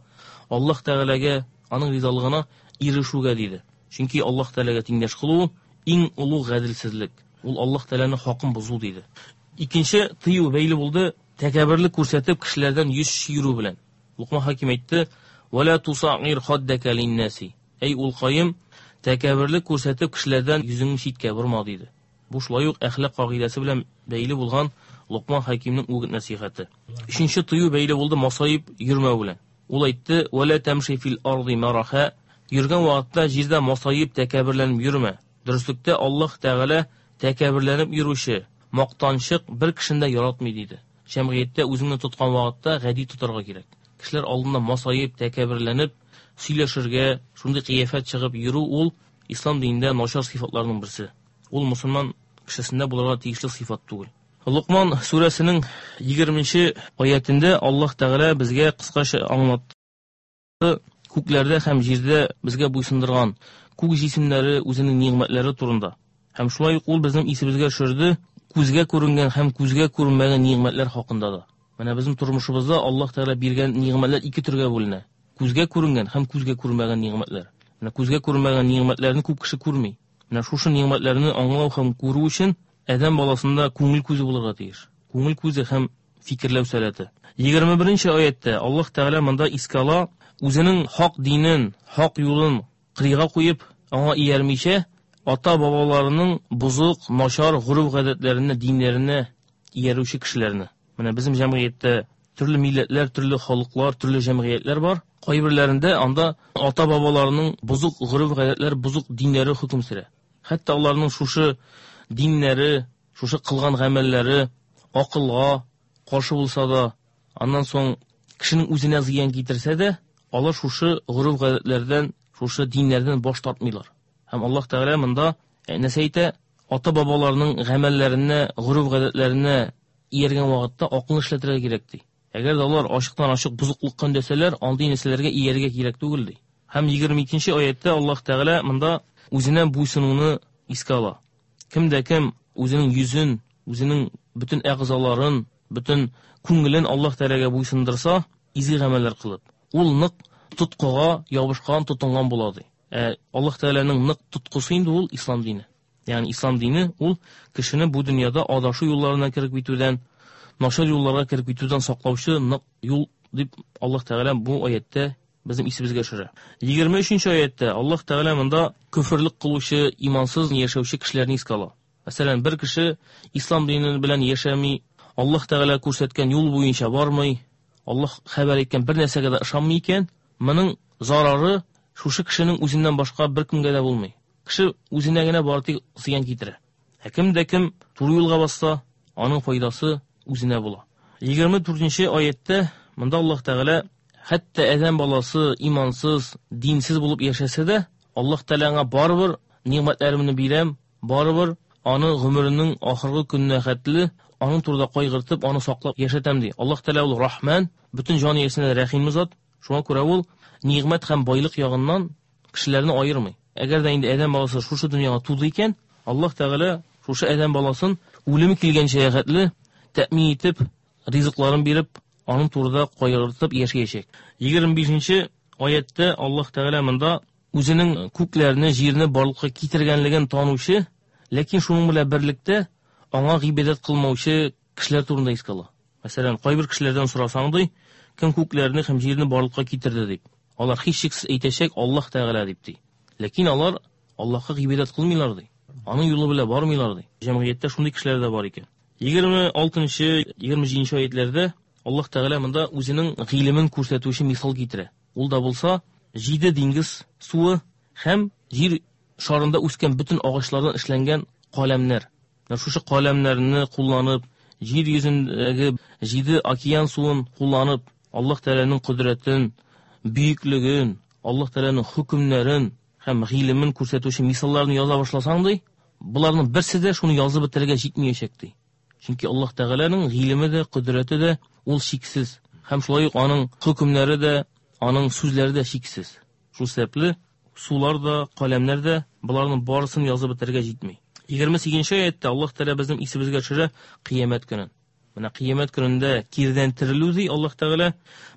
Аллаһ Тәгаләгә, аның ризалыгына ирешүгә, диде. Чөнки Аллаһ Тәгаләгә тиңдәш кылу иң олуг гаделсезлек. Ул Аллаһ Тәгаләнең хакын бозу, диде. Икенче тыю бәйле булды тәкәбберлек күрсәтеп кешеләрдән йөз чөерү белән. Лукман Хәким әйтте: "Вала тусагир хаддака линнаси." Әй улкаем, тәкәбберлек күрсәтеп кешеләрдән йөзеңне читкә борма, диде. Бу шулай ук әхлак кагыйдәсе белән бәйле булган Лукман Хәкимнең үгет нәсихәте. Өченче тыю бәйле булды масаеп йөрмәү белән. Ул әйтте: "Вала тамши фил арди мараха." Йөргән вакытта җирдә масаеп тәкәбберләнеп йөрмә. Дөреслектә Аллаһ Тәгалә тәкәбберләнеп йөрүче, мактанчык бер кешене дә яратмый, диде. Җәмгыятьтә үзеңне тоткан вакытта гади тотарга кирәк. Кешеләр алдында масаеп, тәкәбберләнеп сөйләшергә, шундый кыяфәт чыгып йөрү ул ислам динендә начар сыйфатларның берсе. Ул мусульман кешесендә булырга тиешле сыйфат түгел. Лукман сүрәсенең 20-нче аятендә Аллаһ Тәгалә безгә кыскача аңлатты. Күкләрдә һәм җирдә безгә буйсындырган күк җисемнәре үзенең нигъмәтләре турында. Һәм шулай ук ул безнең исебезгә төшерде күзгә күренгән һәм күзгә күренмәгән нигъмәтләр хакында да. Менә безнең тормышыбызда Аллаһ Тәгалә биргән нигъмәтләр ике төргә бүленә. Күзгә күренгән һәм күзгә күренмәгән нигъмәтләр. Менә күзгә күренмәгән нигъмәтләрне күп кеше күрми. Менә шушы нигъмәтләрне аңлау һәм күрү өчен адәм баласында күңел күзе булырга тиеш. Күңел күзе һәм фикерләү сәләте. 21 аятта Аллаһ Тәгалә монда искә ала үзенең хак динен, хак юлын кырыйга куеп, аңа иярмичә, ата-бабаларының бозык, начар гореф-гадәтләренә, диннәренә иярүче кешеләрне. Менә безнең җәмгыятьтә төрле милләтләр, төрле халыклар, төрле җәмгыятьләр бар. Кайберләрендә анда ата-бабаларының бозык гореф-гадәтләр, бозык диннәре хөкем сөрә. Хәтта аларның шушы диннәре, шушы кылган гамәлләре акылга каршы булса да, аннан соң кешенең үзенә зыян китерсә дә, алар шушы гореф-гадәтләрдән, шушы диннәрдән баш тартмыйлар. Һәм Аллаһ Тәгалә монда нәрсә әйтә? Ата-бабаларының гамәлләренә, гореф-гадәтләренә ияргән вакытта акылны эшләтергә кирәк ди. Әгәр дә алар ачыктан-ачык бозыклыкка өндәсәләр, андый нәрсәләргә иярергә кирәк түгел ди. Һәм 22 аятта Аллаһ Тәгалә монда үзенә буйсынуны искә ала. Кем дә кем үзенең йөзен, үзенең бөтен әгъзаларын, бөтен күңелен Аллаһ Тәгаләгә буйсындырса, изге гамәлләр кылып, ул нык тоткыга ябышкан, тотынган була ди. Ә Аллаһ Тәгаләнең нык тоткысы инде ул ислам дине. Ягъни ислам дине ул кешене бу дөньяда адашу юлларына кереп китүдән, начар юлларга кереп китүдән саклаучы нык юл дип Аллаһ Тәгалә бу аятта безнең исебезгә төшерә. 23 аятта Аллаһ Тәгалә монда көферлек кылучы, имансыз яшәүче кешеләрне искә ала. Мәсәлән, бер кеше ислам дине белән яшәми, Аллаһ Тәгалә күрсәткән юл буенча бармый, Аллаһ хәбәр иткән бер нәрсәгә дә ышанмый икән, моның зарары шушы кешенең үзеннән башка беркемгә дә булмый. Кеше үзенә генә бары тик зыян китерә. Ә кем дә кем туры юлга басса, аның файдасы үзенә була. 24 аятта монда Аллаһ Тәгалә хәтта адәм баласы имансыз, динсез булып яшәсә дә, Аллаһ Тәгалә аңа барыбер нигъмәтләремне бирәм, барыбер аны гомеренең ахыргы көненә хәтле аның турында кайгыртып, аны саклап яшәтәм ди. Аллаһ Тәгалә ул Рахман, бөтен җан иясенә рәхимле зат. Шуңа күрә ул нигъмәт һәм байлык ягыннан кешеләрне аермый. Әгәр дә инде адәм баласы шушы дөньяга туды икән, Аллаһ Тәгалә шушы адәм баласын үлеме килгәнчә хәтле тәэмин итеп, ризыкларын биреп, аның турында кайгыртып яшәячәк. 25 аятта Аллаһ Тәгалә монда үзенең күкләрне, җирне барлыкка китергәнлеген танучы, ләкин шуның белән берлектә аңа гыйбадәт кылмаучы кешеләр турында искә ала. Мәсәлән, кайбер кешеләрдән сорасаң ди, кем күкләрне һәм җирне барлыкка китерде дип. Алар һичшиксез әйтәчәк Аллаһ Тәгалә дип ди. Ләкин алар Аллаһка гыйбадәт кылмыйлар ди. Аның юлы белән бармыйлар ди. Җәмгыятьтә шундый кешеләр дә бар икән. 26-нчы, 27-нче аятләрдә Аллаһ Тәгалә монда үзенең гыйлемен күрсәтүче мисал китерә. Ул да булса җиде диңгез суы һәм җир шарында үскән бөтен агачлардан эшләнгән каләмнәр. Менә шушы каләмнәрне кулланып, җир йөзендәге җиде океан суын кулланып, Аллаһ Тәгаләнең кодрәтен, бөеклеген, Аллаһ Тәгаләнең хөкемнәрен һәм гыйлемен күрсәтүче мисалларны яза башласаң ди, боларның берсе дә шуны язып бетерергә җитмәячәк ди. Чөнки Аллаһ Тәгаләнең гыйлеме дә, кодрәте дә ул чиксез. Һәм шулай ук аның хөкемнәре дә, аның сүзләре дә чиксез. Шул сәбәпле сулар да, каләмнәр дә боларның барысын язып бетерергә җитми. 28 аятта Аллаһ Тәгалә безнең исебезгә төшерә кыямәт көнен. Менә кыямәт көнендә кирдән терелү ди Аллаһ Тәгалә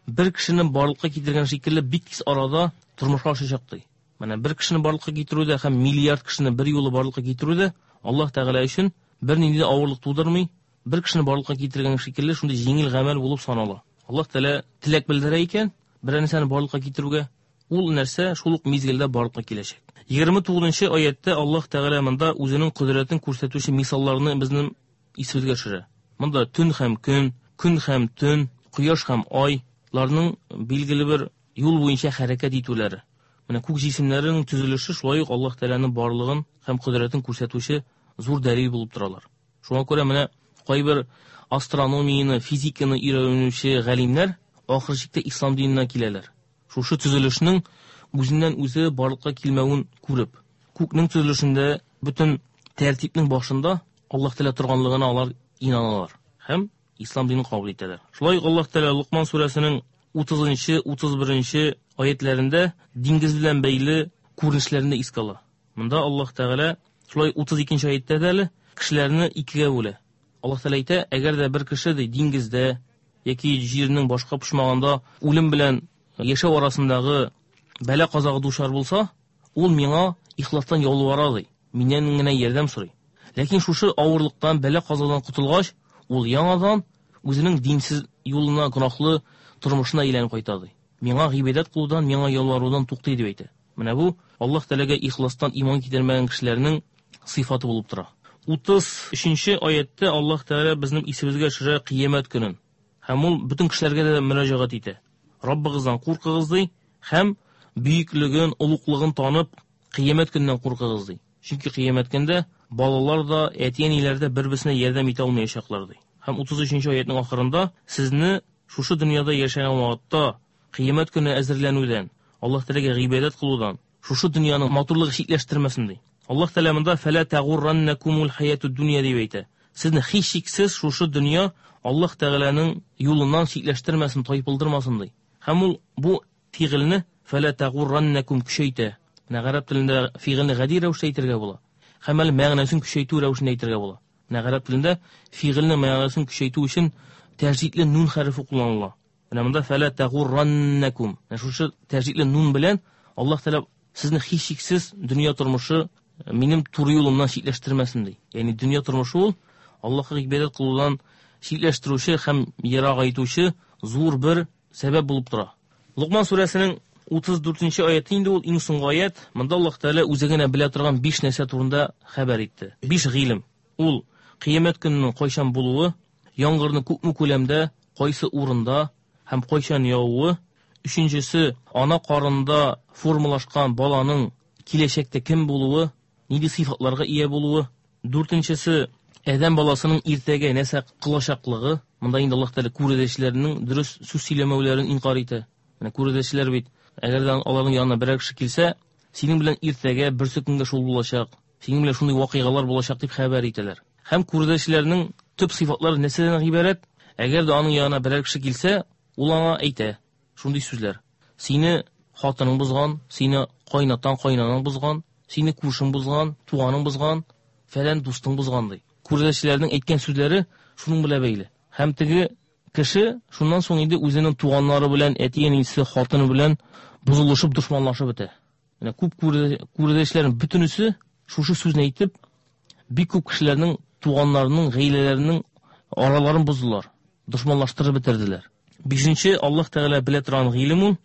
бер кешене барлыкка китергән шикелле бик тиз арада тормышка ашачак ди. Менә бер кешене барлыкка китерү дә һәм миллиард кешене бер юлы барлыкка китерү дә Аллаһ Тәгалә өчен бернинди дә авырлык тудырмый, бер кешене барлыкка китергән шикелле шундый җиңел гамәл булып санала. Аллаһ Тәгалә теләк белдерә икән, берәр нәрсәне барлыкка китерүгә, ул нәрсә шул ук мизгелдә барлыкка киләчәк. 29 аятта Аллаһ Тәгалә монда үзенең кодрәтен күрсәтүче мисалларны безнең исебезгә төшерә. Монда төн һәм көн, көн һәм төн, кояш һәм айларның билгеле бер юл буенча хәрәкәт итүләре. Менә күк җисемнәренең төзелеше шулай ук Аллаһ Тәгаләнең барлыгын һәм кодрәтен күрсәтүче зур дәлил булып торалар. Шуңа күрә менә кайбер астрономияне, физиканы өйрәнүче галимнәр ахыр чиктә ислам диненә киләләр. Шушы төзелешнең үзеннән үзе барлыкка килмәвен күреп, күкнең төзелешендә бөтен тәртипнең башында Аллаһ Тәгалә торганлыгына алар инаналар һәм ислам динен кабул итәләр. Шулай ук Аллаһ Тәгалә Лукман сүрәсенең 30-нчы, 31-нче аятләрендә диңгез белән бәйле күренешләрне искә ала. Монда Аллаһ Тәгалә Шулай 32 аятьтә дә әле кешеләрне икегә бүлә. Аллаһ Тәгалә әйтә, әгәр дә бер кеше ди диңгездә яки җирнең башка почмагында үлем белән яшәү арасындагы бәла-казага дучар булса, ул миңа ихластан ялвара ди, миннән генә ярдәм сорый. Ләкин шушы авырлыктан, бәла-казадан котылгач, ул яңадан үзенең динсез юлына, гөнаһлы тормышына әйләнеп кайта ди. Миңа гыйбадәт кылудан, миңа ялварудан туктый дип әйтә. Менә бу Аллаһ Тәгаләгә ихластан иман китермәгән кешеләрнең сыйфаты булып тора. 33 аятта Аллаһ Тәгалә безнең исебезгә төшерә кыямәт көнен. Һәм ул бөтен кешеләргә дә мөрәҗәгать итә. Раббыгыздан куркыгыз ди һәм бөеклеген, олуглыгын танып, кыямәт көненнән куркыгыз ди. Чөнки кыямәт көндә балалар да, әти-әниләр дә бер-берсенә ярдәм итә алмаячаклар ди. Һәм 33 аятның ахырында сезне шушы дөньяда яшәгән вакытта кыямәт көне әзерләнүдән, Аллаһ Тәгаләгә гыйбадәт кылудан, шушы дөньяның матурлыгы читләштермәсен ди. Аллаһ Тәгалә монда фәлә тагурраннакумул хаятуд дөнья дип әйтә. Сезне һичшиксез шушы дөнья Аллаһ Тәгаләнең юлыннан читләштермәсен, тайпылдырмасын ди. Һәм ул бу фигыльне фәлә тагурраннакум көчәйтә. Менә гарәп телендә фигыльне гади рәвештә әйтергә була. Һәм әле мәгънәсен көчәйтү рәвешендә әйтергә була. Менә гарәп телендә фигыльнең мәгънәсен көчәйтү өчен тәҗдидле нун хәрефе кулланыла. Менә монда фәлә тагурраннакум. Менә шушы тәҗдидле нун белән Аллаһ Тәгалә сезне һичшиксез дөнья тормышы минем туры юлымнан читләштермәсен ди. Ягъни дөнья тормышы ул Аллаһка гыйбадәт кылудан читләштерүче һәм ерагайтучы зур бер сәбәп булып тора. Лукман сүрәсенең 34 аяты инде ул иң соңгы аят. Монда Аллаһ Тәгалә үзе генә белә торган 5 нәрсә турында хәбәр итте. 5 гыйлем. Ул кыямәт көненең кайчан булуы, яңгырның күпме күләмдә, кайсы урында һәм кайчан явуы, өченчесе ана карынында формалашкан баланың киләчәктә кем булуы, нинди сыйфатларга ия булуы, дүртенчесе адәм баласының иртәгә нәрсә кылачаклыгы. Монда инде Аллаһ Тәгалә күрәзәчеләрнең дөрес сүз сөйләмәүләрен инкар итә. Менә күрәзәчеләр бит, әгәр дә аларның янына берәр кеше килсә, синең белән иртәгә берсе көнгә шул булачак, синең белән шундый вакыйгалар булачак дип хәбәр итәләр. Һәм күрәзәчеләрнең төп сыйфатлары нәрсәдән гыйбарәт? Әгәр дә аның янына берәр кеше килсә, ул аңа әйтә шундый сүзләр: сине хатының бозган, сине кайнатаң, кайнанаң бозган, сине күршең бозган, туганың бозган, фәлән дустың бозган ди. Күрәзәчеләрнең әйткән сүзләре шуның белән бәйле. Һәм теге кеше шуннан соң инде үзенең туганнары белән, әти-әнисе, хатыны белән бозылышып, дошманлашып бетә. Менә күп күрәзәчеләрнең бөтенесе шушы сүзне әйтеп, бик күп кешеләрнең туганнарының, гаиләләренең араларын боздылар, дошманлаштырып бетерделәр. Бишенче, Аллаһ Тәгалә белә торган гыйлем ул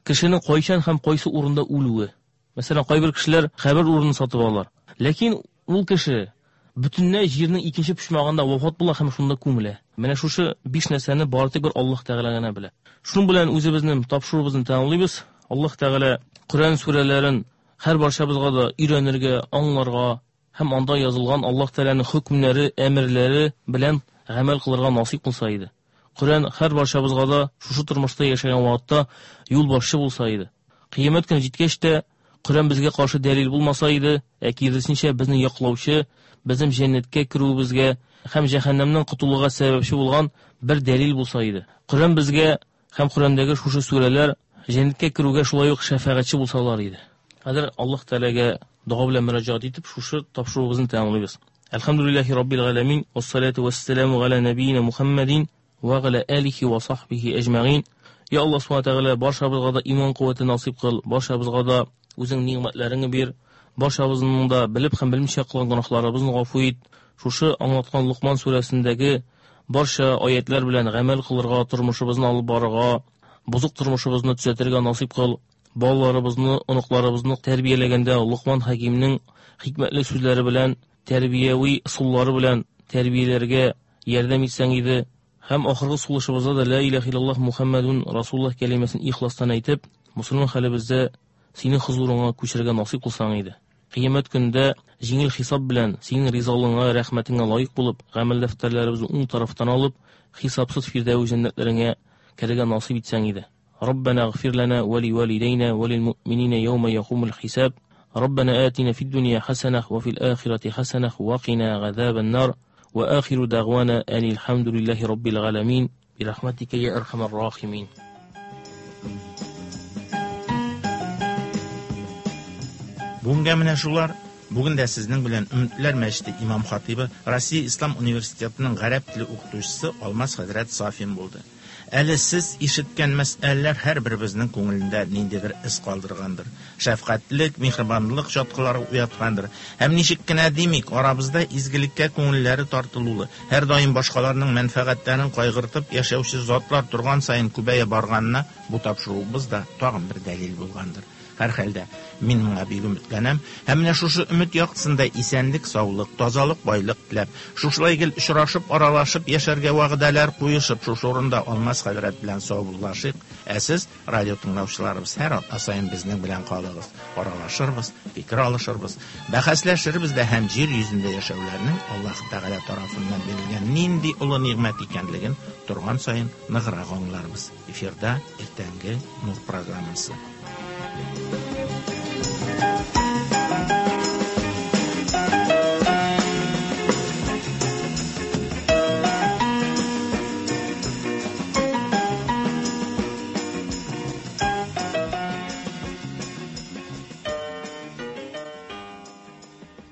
кешенең кайчан һәм кайсы урында үлүе. Мәсәлән, кайбер кешеләр кабер урынын сатып алалар. Ләкин ул кеше бөтенләй җирнең икенче почмагында вафат була һәм шунда күмелә. Менә шушы биш нәрсәне бары тик бер Аллаһ Тәгалә генә белә. Шуның белән үзебезнең тапшыруыбызны тәмамлыйбыз. Аллаһ Тәгалә Коръән сүрәләрен һәр барчабызга да өйрәнергә, аңларга һәм анда язылган Аллаһ Тәгаләнең хөкемнәре, әмерләре белән гамәл кылырга насыйп кылса иде. Коръән һәр барчабызга да шушы тормышта яшәгән вакытта юлбашчы булса иде. Кыямәт көне җиткәч тә Коръән безгә каршы дәлил булмаса иде, ә киресенчә безне яклаучы, безнең җәннәткә керүебезгә һәм җәһәннәмнән котылуга сәбәпче булган бер дәлил булса иде. Коръән безгә һәм Коръәндәге шушы сүрәләр җәннәткә керүгә шулай ук шәфәгатьче булсалар иде. Хәзер Аллаһ Тәгаләгә дога белән мөрәҗәгать итеп, шушы тапшыруыбызны тәмамлыйбыз. Әлхәмдүлилләһи раббил галәмин, вассалату вассаламу галя нәбиина Мухаммадин ва галя алихи ва сахбихи әҗмәгин. Я Аллаһ субхана тәгалә, барчабызга да иман куәте насыйп кыл, барчабызга да үзең ни'мәтләреңне бир, барчабызның да белеп һәм белмичә кылган гөнаһларыбызны гафу ит. Шушы аңлаткан Лукман сүрәсендәге барча аятлар белән гамәл кылырга, тормышыбызны алып барырга, бозык тормышыбызны төзәтергә насыйп кыл. Балаларыбызны, оныкларыбызны тәрбияләгәндә Лукман Хәкимнең хикмәтле сүзләре белән, тәрбияви ысуллары белән тәрбияләргә ярдәм итсәң иде. Һәм ахыргы сулышыбызда да ла илаһа иллаллаһ Мухаммадун Расулуллаһ кәлимәсен ихластан әйтеп, мусульман хәлебездә синең хозурыңа күчәргә насыйп кылсаң иде. Кыямәт көнендә җиңел хисап белән синең ризалыгыңа, рәхмәтеңә лаек булып, гамәл дәфтәрләребезне уң тарафтан алып, хисапсыз фирдәүс җәннәтләреңә керергә насыйп итсәң иде. ربنا اغفر لنا ولوالدينا وللمؤمنين يوم يقوم الحساب. ربنا آتنا في الدنيا حسنة وفي الآخرة حسنة وقنا عذاب النار. وآخر دعوانا أن الحمد لله رب العالمين برحمتك يا أرحم الراحمين. Бүгенгә менә шулар. Бүген дә сезнең белән Өметләр мәчете имам хатыйбы, Россия Ислам университетының гарәп теле укытучысы Алмаз хәзрәт Сафин булды. Әле сез ишеткән мәсьәләләр һәрберебезнең күңелендә ниндидер эз калдыргандыр. Шәфкатьлек, миһербанлылык чаткылары уяткандыр. Һәм ничек кенә димик, арабызда изгелеккә күңелләре тартылулы, һәрдаим башкаларның мәнфәгатьләрен кайгыртып яшәүче затлар торган саен күбәя барганына бу тапшыруыбыз да тагын бер дәлил булгандыр. Һәрхәлдә, мин моңа бик өметләнәм. Һәм менә шушы өмет яктысында исәнлек, саулык, тазалык, байлык теләп, шушылай гел очрашып, аралашып яшәргә вәгъдәләр куешып, шушы урында Алмаз хәзрәт белән саубуллашыйк. Ә сез, радио тыңлаучыларыбыз, һәр атна саен безнең белән калыгыз. Аралашырбыз, фикер алышырбыз, бәхәсләшербез дә һәм җир йөзендә яшәүләрнең Аллаһ Тәгалә тарафыннан бирелгән нинди олы нигъмәт икәнлеген торган саен ныграк аңларбыз. Эфирда иртәнге Нур программасы.